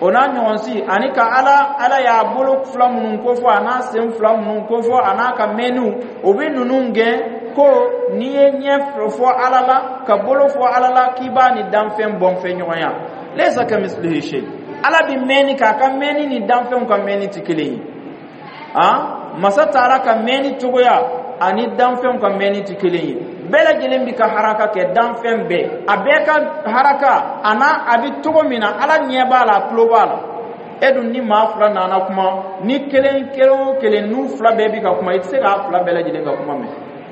o n'a ɲɔgɔn si, ani ka ala ala y'a bolo fila minnu kofɔ, a n'a sen fila minnu kofɔ, a n'a ka mɛnniw, o bɛ ninnu gɛn ko n'i ye ɲɛ fɔ Ala la, ka bolo fɔ Ala la, k'i b'a ni danfɛn bɔnfɛn ɲɔgɔnya. Laysa kamislihi shay. Ala bɛ mɛnni k'a ka mɛnni ni danfɛnw ka mɛnni tɛ kelen ye. A masa taara ka mɛnni cogoya ani danfɛnw ka mɛnni tɛ kelen ye. Bɛɛ lajɛlen bi ka haraka kɛ, danfɛn bɛɛ, a bɛɛ ka haraka a n'a a bɛ cogo min na, Ala ɲɛ b'a la, a tulo b'a la. E dun, ni maa fila nana kuma, ni kelen kelen o kelen n'u fila bɛɛ bi ka kuma, i tɛ se k'a fila bɛɛ lajɛlen ka kuma mɛn.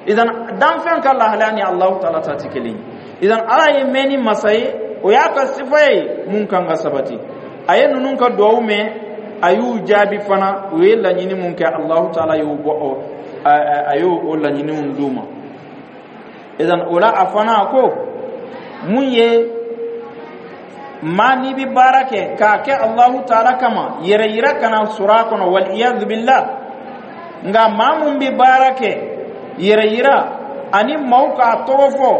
Idan danfɛn ka lahalaya ni Alahu taala ta tɛ kelen ye. Idan Ala ye mɛnni masa ye, o y'a ka sifa ye mun kan ka sabati. A ye ninnu ka duwawu mɛn, a y'u jaabi fana. U ye laɲini mun kɛ, Alahu taala y'o bɔ, a y'o o laɲiniw d'u ma. Idan o la, a fana ko mun ye maa n'i bi baara kɛ k'a kɛ Alahu taala kama, yɛrɛ yira kana sɔrɔ a kɔnɔ, wal iyadu billah. Nka maa mun bi baara kɛ yɛrɛ yira ani maaw k'a tɔgɔ fɔ,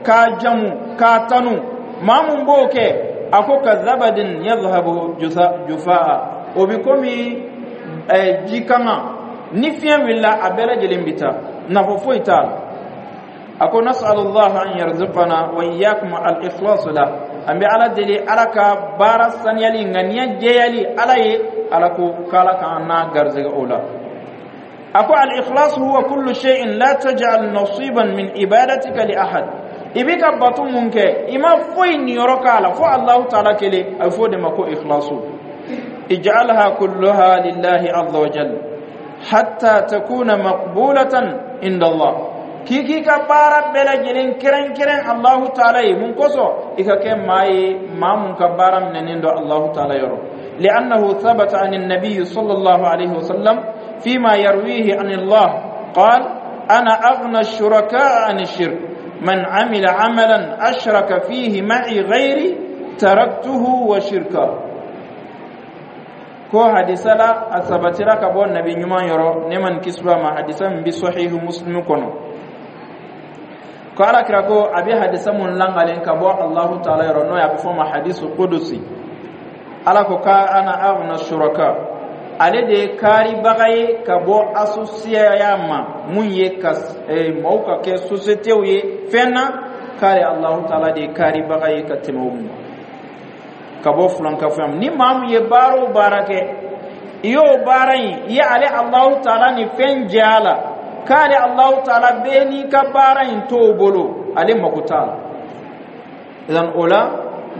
k'a jamu, k'a tanu, maa mun b'o kɛ, a ko ka zabadin yadhhabu jufaa, o bi komi ji kanga ni fiɲɛ wulila, a bɛɛ lajɛlen bi taa, nafa foyi t'a la. A ko nasalullah an yarzuqana wa iyyakum al-ikhlas la. An bɛ Ala deli, Ala ka baara saniyali, ŋaniya jɛyali Ala ye, Ala ko k'Ala k'an n'a garisɛgɛ o la. A ko al-ikhlas huwa kullu shay'in, la taj'al nasiban min ibadatika li ahad. I bɛ ka bato mun kɛ, i ma foyi niyɔrɔ k'a la fo Allahu taala kelen, a bɛ fɔ o de ma ko ikhlasu. Ij'alha kulluha lillahi azza wa jalla hatta takuna maqbulatan inda Allah. K'i k'i ka baara bɛɛ lajɛlen kɛrɛnkɛrɛn Allahu taala ye. Mun kosɔn? I ka kɛ maa ye, maa mun ka baara minɛnen don Allahu taala yɔrɔ. لأنه ثبت عن النبي صلى الله عليه وسلم فيما يرويه عن الله قال: أنا أغنى الشركاء عن الشرك، من عمل عملا أشرك فيه معي غيري تركته وشركه. Ko hadisa la, a sabatira ka bɔ nabi ɲuman yɔrɔ, ne man kisi ma, hadisa min bi Sahihu Muslimu kɔnɔ, ko Ala kira ko a bɛ hadisa mun langalen ka bɔ Allahu taala yɔrɔ, n'o ye a bɛ fɔ o ma hadisu kudusi, Ala ko ka ana aghna shuraka. Ale de ye kaaribaga ye ka bɔ associaya ma, mun ye ka maaw ka kɛ sociétéw ye fɛn na, k'ale Alahu taala de ye kaaribaga ye ka tɛmɛ o ma, ka bɔ fulankafoya ma. Ni maa mun ye baara o baara kɛ, i y'o baara in, i ye ale Alahu taala ni fɛn jɛ a la, k'ale Alahu taala bɛɛ n'i ka baara in t'o bolo, ale mako t'a la. Idan o la,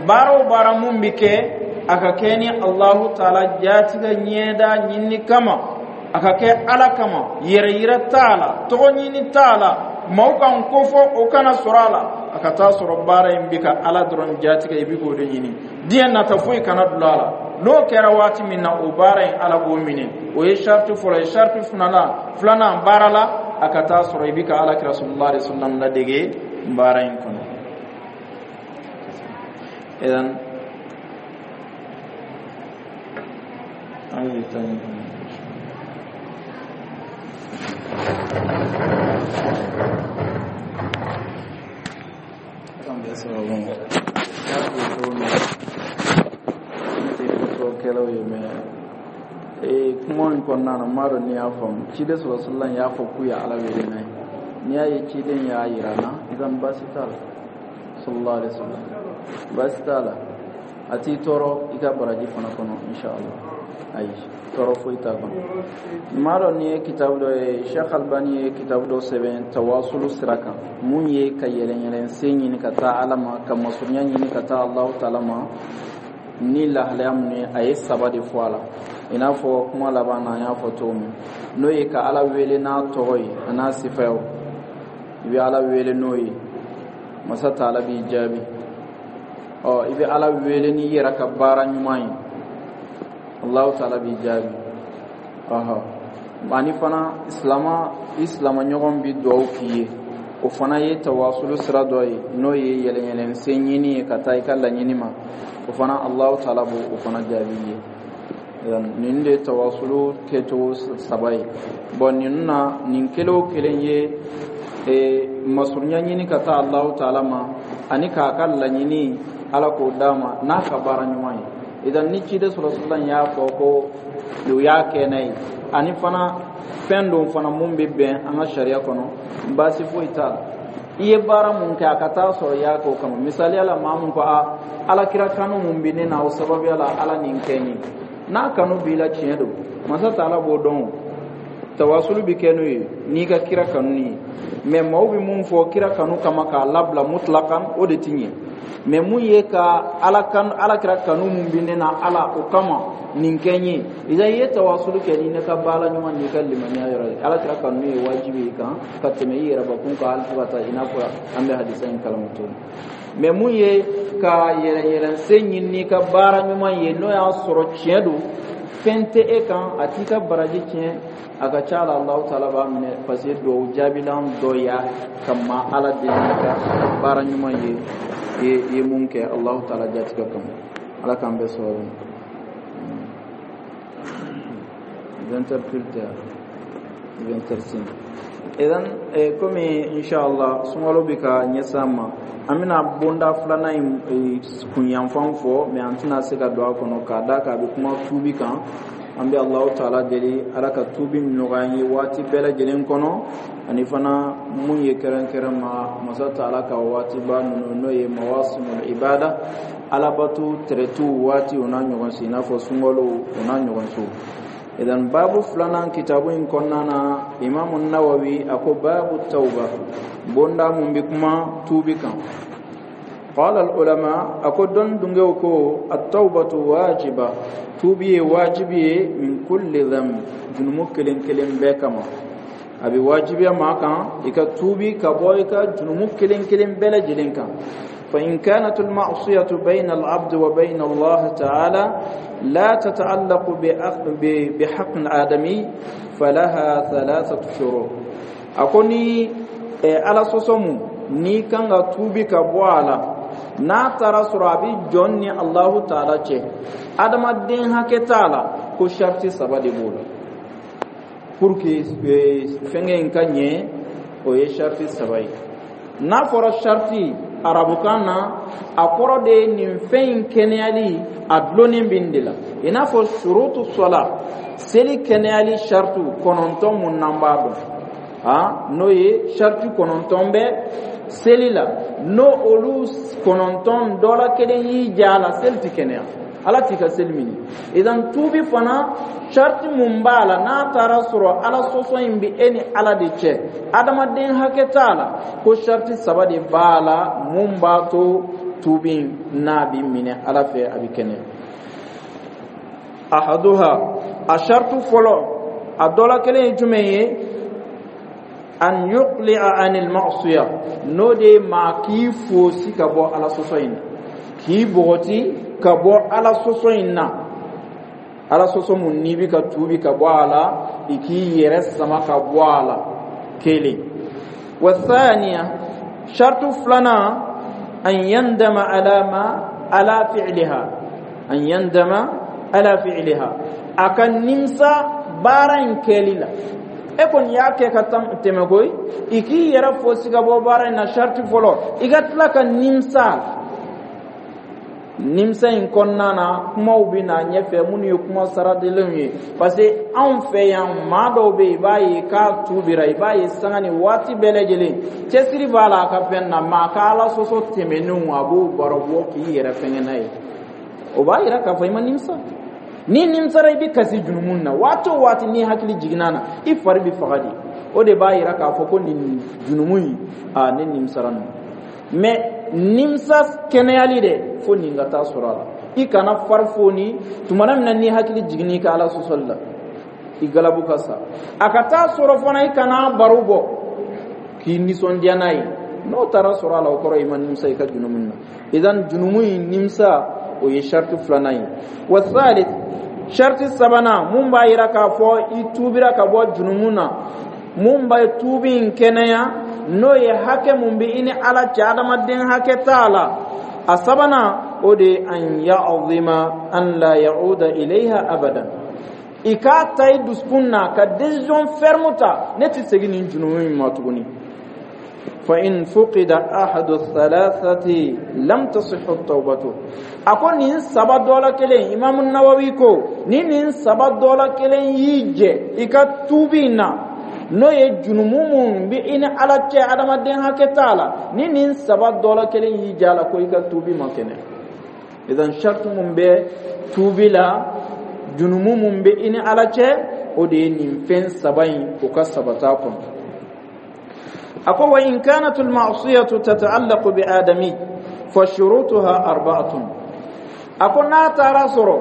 baara o baara mun bi kɛ, a ka kɛ ni Alahu taala jatigɛ ɲɛda ɲini kama, a ka kɛ Ala kama, yɛrɛ yira t'a la, tɔgɔ ɲini t'a la, maaw kan kofɔ o kana sɔrɔ a la, a ka taa sɔrɔ baara in bi ka Ala dɔrɔn jatigɛ, i bi k'o de ɲini, diɲɛ nata foyi kana dulon a la. N'o kɛra waati min na, o baara in Ala b'o minɛ. O ye sariti fɔlɔ ye. Sariti filanan filanan baara la, a ka taa sɔrɔ i bi ka Ala kira sallallahu alaihi wasallam ladege baara in kɔnɔ. Idan an bɛ taa nin kɔnɔ. Kan bɛ sababu ma y'a fɔ cogo min, ne tɛ fɔtɔkɛlaw ye, mɛ ee kuma in kɔnɔna na, n m'a dɔn n'i y'a faamu. Ciden sɔrɔ sallam y'a fɔ k'u ye Ala wele n'a ye. N'i y'a ye ciden y'a yira n na, idan baasi t'a la, sallallahu alaihi wasallam, baasi t'a la, a t'i tɔɔrɔ i ka baraji fana kɔnɔ, inshallah. Ayi, tɔɔrɔ foyi t'a kɔnɔ. N m'a dɔn n'i ye kitabu dɔ ye, Sheikh Albani ye kitabu dɔ sɛbɛn tawasulu sira kan, mun ye ka yɛlɛn sen ɲini ka taa Ala ma, ka masurunya ɲini ka taa Alahu taala ma ni lahalaya mun ye. A ye saba de fɔ a la, i n'a fɔ kuma laban na an y'a fɔ cogo min, n'o ye ka Ala wele n'a tɔgɔ ye a n'a sifayaw. I bɛ Ala wele n'o ye, masa taala b'i jaabi. Ɔ i bɛ Ala wele n'i yɛrɛ ka baara ɲuman ye, Alahu taala b'i jaabi. Ɔhɔ, ani fana silama i silama ɲɔgɔn bi duwawu k'i ye, o fana ye tawasulu sira dɔ ye, n'o ye yɛlɛyɛlɛn sen ɲini ye ka taa i ka laɲini ma, o fana Alahu taala b'o o fana jaabi i ye. Nin de ye tawasulu kɛcogo saba ye. Bɔn, ninnu na, nin kelen o kelen ye masurunya ɲini ka taa Alahu taala ma, ani k'a ka laɲini Ala k'o d'a ma n'a ka baara ɲuman ye. Idan ni ciden sɔrɔ sallam y'a fɔ ko o y'a kɛ n'a ye, ani fana fɛn dɔ fana mun bɛ bɛn an ka sariya kɔnɔ, baasi foyi t'a la. I ye baara mun kɛ, a ka taa sɔrɔ i y'a kɛ o kama. Misaliya la, maa mun ko a Ala kira kanu mun bɛ ne na, o sababuya la Ala nin kɛ n ye, n'a kanu b'i la, tiɲɛ don, masa taala b'o dɔn. Tawasulu bɛ kɛ n'o ye n'i ka kira kanu ye. Mɛ maaw bɛ mun fɔ kira kanu kama k'a labila mutlakan, o de ti ɲɛ. Mɛ mun ye ka Ala kanu, Ala kira kanu mun bɛ ne na, Ala o kama nin kɛ n ye, i ye tawasulu kɛ ni ne ka baara ɲuman n'i ka limaniya yɔrɔ ye. Ala kira kanu ye wajibi ye kan ka tɛmɛ i yɛrɛ bakun kan, hali fo ka taa i n'a fɔ an bɛ hadisa in kalama cogo min. Mɛ mun ye ka yɛlɛ yɛlɛn sen ɲini n'i ka baara ɲuman ye, n'o y'a sɔrɔ tiɲɛ don, fɛn tɛ e kan, a t'i ka baraji tiɲɛ, a ka ca la Alahu taala b'a minɛ, parce que duwawu jaabilan dɔ y'a ka ma Ala deli n'i ka baara ɲuman ye, i ye mun kɛ Alahu taala jatigɛ kama. Ala k'an bɛɛ sababu. vingt heures pile tɛ, vingt heures cinq. Idan komi inshallah sunkalo bɛ ka ɲɛsin an ma, an bɛna bonda filanan in kunyanfan fɔ, mɛ an tɛna se ka don a kɔnɔ k'a da kan a bɛ kuma tuubi kan. An bɛ Alahu taala deli, Ala ka tuubi nɔgɔya an ye waati bɛɛ lajɛlen kɔnɔ, ani fana mun ye kɛrɛnkɛrɛn ma masa taala ka waatiba ninnu, n'o ye mawasimul ibada, alabato tɛrɛtiw waati, o n'a ɲɔgɔn si, i n'a fɔ sunkalo o n'a ɲɔgɔn so. Idan babu filanan kitabu in kɔnɔna na, Imamu Nawawi a ko babu tawba, bonda mun bɛ kuma tuubi kan. قال العلماء أكو دون دونجو كو التوبة واجبة، توبي واجبي من كل ذنب، جنمو كلين كلين بكما أبي واجبي ما كان إكا توبي كبويكا جنمو كلين كلين بلا جلين كان. فإن كانت المعصية بين العبد وبين الله تعالى لا تتعلق بحق آدمي فلها ثلاثة شروط. أكوني على صوصمو ni kan ka tuubi ka bɔ a la, n'a taara sɔrɔ a bɛ jɔn ni Alahu taala cɛ, adamaden hakɛ t'a la, ko sariti saba de b'o la pour que fɛnkɛ in ka ɲɛ. O ye sariti saba ye. N'a fɔra sariti arabukan na, a kɔrɔ de ye nin fɛn in kɛnɛyali a dulonnen bɛ nin de la. I n'a fɔ shurutu sɔla, seli kɛnɛyali shartu kɔnɔntɔn mun n'an b'a dɔn, ah, n'o ye shartu kɔnɔntɔn bɛ seli la, n'o olu kɔnɔntɔn dɔ la kelen y'i ja a la, seli ti kɛnɛya, Ala t'i ka seli minɛ. Idan tuubi fana, sharti mun b'a la, n'a taara sɔrɔ Ala sɔsɔ in bɛ e ni Ala de cɛ, adamaden hakɛ t'a la, ko sharti saba de b'a la mun b'a to tuubi n'a bɛ minɛ Ala fɛ, a bɛ kɛnɛya. Ahaduha, a shartu fɔlɔ, a dɔ la kelen ye jumɛn ye? An yuqli'a anil ma'siya, n'o de ye maa k'i fosi ka bɔ Ala sɔsɔ in na, k'i bɔgɔti ka bɔ Ala sɔsɔ in na. Ala sɔsɔ mun n'i bɛ ka tuubi ka bɔ a la, i k'i yɛrɛ sama ka bɔ a la, kelen. Wa thaniya, shartu filanan, an yandama ala ma ala fi'liha, an yandama ala fi'liha, a ka nimisa baara in kɛli la. E kɔni y'a kɛ ka tɛmɛ koyi, i k'i yɛrɛ fosi ka bɔ baara in na, sharti fɔlɔ. I ka tila ka nimisa. Nimisa in kɔnɔna na, kumaw bɛ na ɲɛfɛ minnu ye kuma saradenlenw ye, parce que anw fɛ yan, maa dɔw bɛ yen, i b'a ye k'a tubira, i b'a ye sanga ni waati bɛɛ lajɛlen cɛsiri b'a la a ka fɛn na, maa ka Ala sɔsɔ tɛmɛnenw, a b'o baro bɔ k'i yɛrɛ fɛngɛ n'a ye. O b'a yira k'a fɔ i ma nimisa. Ni nimisara, i bɛ kasi junumun na waati o waati. N'i hakili jiginna na, i fari bɛ faga de. O de b'a yira k'a fɔ ko nin junumun in, aa, ne nimisara nin. Mais nimisa kɛnɛyali dɛ, fo nin ka taa sɔrɔ a la. I kana fari foni tumana min na n'i hakili jiginna i ka Ala sɔsɔli la, i galabu ka sa. A ka taa sɔrɔ fana, i kana baro bɔ k'i nisɔndiya n'a ye. N'o taara sɔrɔ a la, o kɔrɔ i ma nimisa i ka junumun na. Idan junumun in nimisa, o ye sharti filanan ye. Wa thalith, sharti sabanan mun b'a yira k'a fɔ i tuubira ka bɔ junumun na, mun b'a tuubi in kɛnɛya, n'o ye hakɛ mun bɛ i ni Ala cɛ, adamaden hakɛ t'a la, a sabanan, o de ye an ya'zima an la ya'uda ilayha abadan, i k'a ta i dusukun na ka décision ferme ta: ne tɛ segin nin junumu in ma tuguni. Fa in fuqida ahadu thalathati lam tasihhu tawbatu. A ko nin saba dɔ la kelen, Imam Nawawi ko ni nin saba dɔ la kelen y'i jɛ i ka tuubi in na, n'o ye junumu mun bɛ i ni Ala cɛ, adamaden hakɛ t'a la, ni nin saba dɔ la kelen y'i jɛ a la, ko i ka tuubi ma kɛnɛ. Idan shartu mun bɛ tuubi la, junumu mun bɛ i ni Ala cɛ, o de ye nin fɛn saba in, o ka sabata kɔnɔ. A ko wa in kanat al-ma'siyatu tata'allaqu bi adami fa shurutuha arba'atun. A ko n'a taara sɔrɔ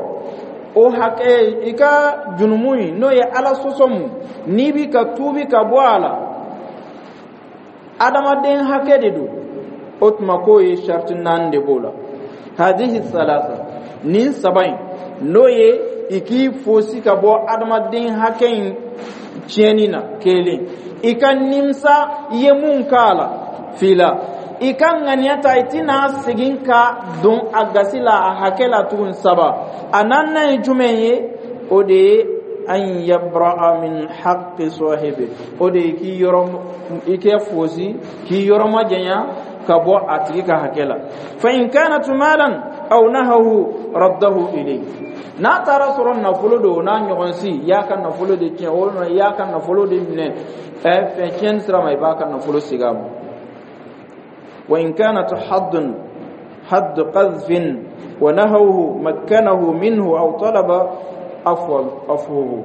o hakɛ, i ka junumu in, n'o ye Ala sɔsɔ mun n'i bi ka tuubi ka bɔ a la, adamaden hakɛ de don, o tuma k'o ye sharti naani de b'o la. Hadihi salasa, nin saba in, n'o ye i k'i fosi ka bɔ adamaden hakɛ in tiɲɛni na, kelen, i ka nimisa i ye mun k'a la, fila, i ka ŋaniya ta i tɛna segin ka don a gasi la, a hakɛ la tuguni, saba. A naaninan ye jumɛn ye? O de ye an yabra'a min haqqi sahibi, o de ye k'i yɔrɔ i kɛ fosi, k'i yɔrɔ majanya ka bɔ a tigi ka hakɛ la. Fa in kanat malan aw nahahu raddahu ilayhi, n'a taara sɔrɔ nafolo don, n'a ɲɔgɔn si, i y'a ka nafolo de tiɲɛ walima i y'a ka nafolo de minɛ ɛ fɛn tiɲɛni sira ma, i b'a ka nafolo segin a ma. Wa in kanat haddun hadd qadhfin wa nahawhu makkanahu minhu aw talaba afwa afwuhu,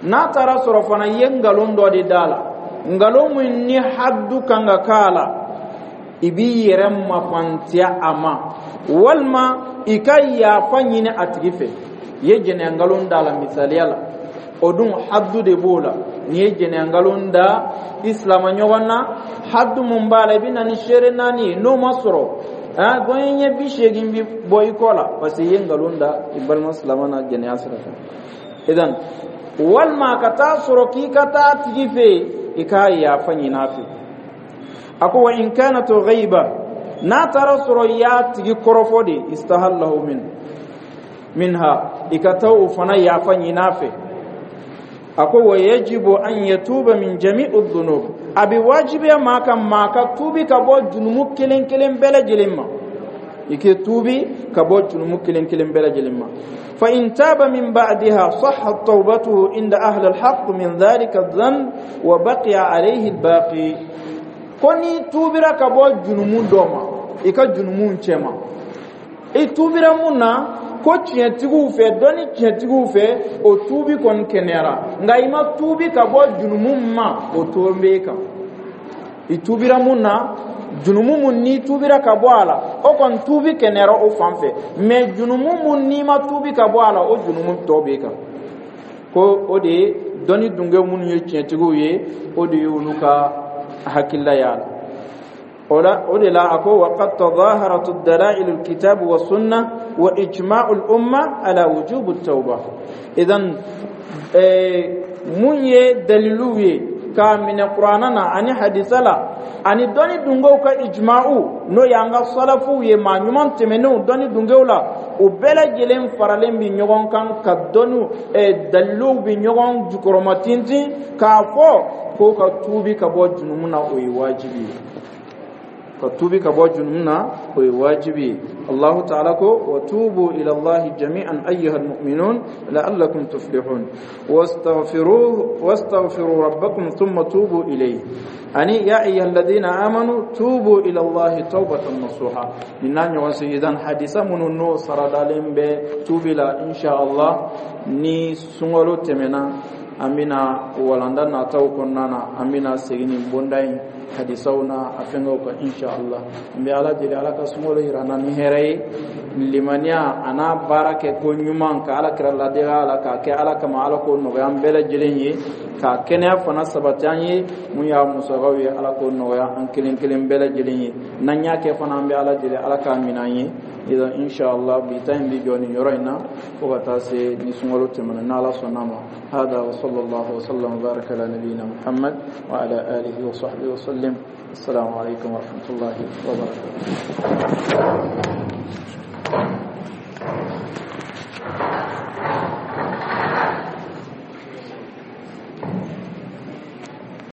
n'a taara sɔrɔ fana i ye nkalon dɔ de d'a la, nkalon min ni haddu kan ka k'a la, i b'i yɛrɛ mafantiya a ma walima i ka yafa ɲini a tigi fɛ. I ye jɛnɛya nkalon d'a la misaliya la, o dun haddu de b'o la. N'i ye jɛnɛya nkalon da i silama ɲɔgɔn na, haddu mun b'a la, i bɛ na ni seere naani ye. N'o ma sɔrɔ, gɔɲɛ ɲɛ bi seegin bi bɔ i kɔ la, parce que i ye nkalon da i balima silama na jɛnɛya sira fɛ. Idan walima ka taa sɔrɔ k'i ka taa a tigi fɛ yen, i k'a yafa ɲini a fɛ. A ko wa in kanat ghaiba, n'a taara sɔrɔ i y'a tigi kɔrɔfɔ de, istahallahu min minha, i ka taa o fana yafa ɲini a fɛ. A ko wa yajibu an yatuba min jami'u dhunub, a bɛ wajibiya maa kan, maa ka tuubi ka bɔ junumu kelen kelen bɛɛ lajɛlen ma, i k'i tuubi ka bɔ junumu kelen kelen bɛɛ lajɛlen ma. فإن تاب من بعدها صحت توبته عند أهل الحق من ذلك الذنب وبقي عليه الباقي. Ko n'i tubira ka bɔ junumu dɔ ma, i ka junumu cɛma, i tubira mun na, ko tiɲɛtigiw fɛ, dɔnni tiɲɛtigiw fɛ, o tuubi kɔni kɛnɛyara. Nka i ma tuubi ka bɔ junumu ma, o to b'e kan. I tuubira mun na, junumu mun n'i tuubira ka bɔ a la, o kɔni tuubi kɛnɛyara o fan fɛ. Mais junumu mun n'i ma tuubi ka bɔ a la, o junumu tɔ b'e kan. Ko o de ye dɔnni dungew minnu ye tiɲɛtigiw ye, o de ye olu ka hakilila y'a la. O la, o de la a ko: وقد تظاهرت الدلائل الكتاب والسنة وإجماع الأمة على وجوب التوبة. إذن mun ye daliluw ye k'a minɛ Kuranna na ani hadisa la ani dɔnni dungew ka ijma'u, n'o y'an ka salafuw ye, maa ɲuman tɛmɛnenw, dɔnni dungew la, o bɛɛ lajɛlen faralen bi ɲɔgɔn kan ka dɔnni daliluw bi ɲɔgɔn jukɔrɔma tintin k'a fɔ ko ka tuubi ka bɔ junumu na, o ye wajibi ye. Ka tuubi ka bɔ junumu na, o ye wajibi ye. Allahu ta'ala ko: وتوبوا إلى الله جميعا أيها المؤمنون لعلكم تفلحون واستغفروه واستغفروا ربكم ثم توبوا إليه. Ani يا أيها الذين آمنوا توبوا إلى الله توبة نصوحا. Nin n'a ɲɔgɔn seyidan hadisa minnu n'o saradalen bɛ tuubi la, insha Allah, ni sunkalo tɛmɛna, an bɛna walanda nataw kɔnɔna na, an bɛna segin nin bonda in hadisaw na a fɛngɛw kan, insha Allah. N bɛ Ala deli, Ala ka sunkalo yira an na ni hɛrɛ ye, limaniya a n'a baara kɛ ko ɲuman, ka Ala kira ladega la, k'a kɛ Ala kama. Ala k'o nɔgɔya an bɛɛ lajɛlen ye, k'a kɛnɛya fana sabati an ye. Mun y'a musakaw ye, Ala k'o nɔgɔya an kelen kelen bɛɛ lajɛlen ye. N'an y'a kɛ fana, an bɛ Ala deli, Ala k'a minɛ an ye. Idan, insha Allah, bi ta in bi jɔ nin yɔrɔ in na fo ka taa se ni sunkalo tɛmɛna, n'Ala sɔnna ma. هذا وصلى الله وسلم وبارك على نبينا محمد وعلى آله وصحبه وسلم. السلام عليكم ورحمة الله وبركاته.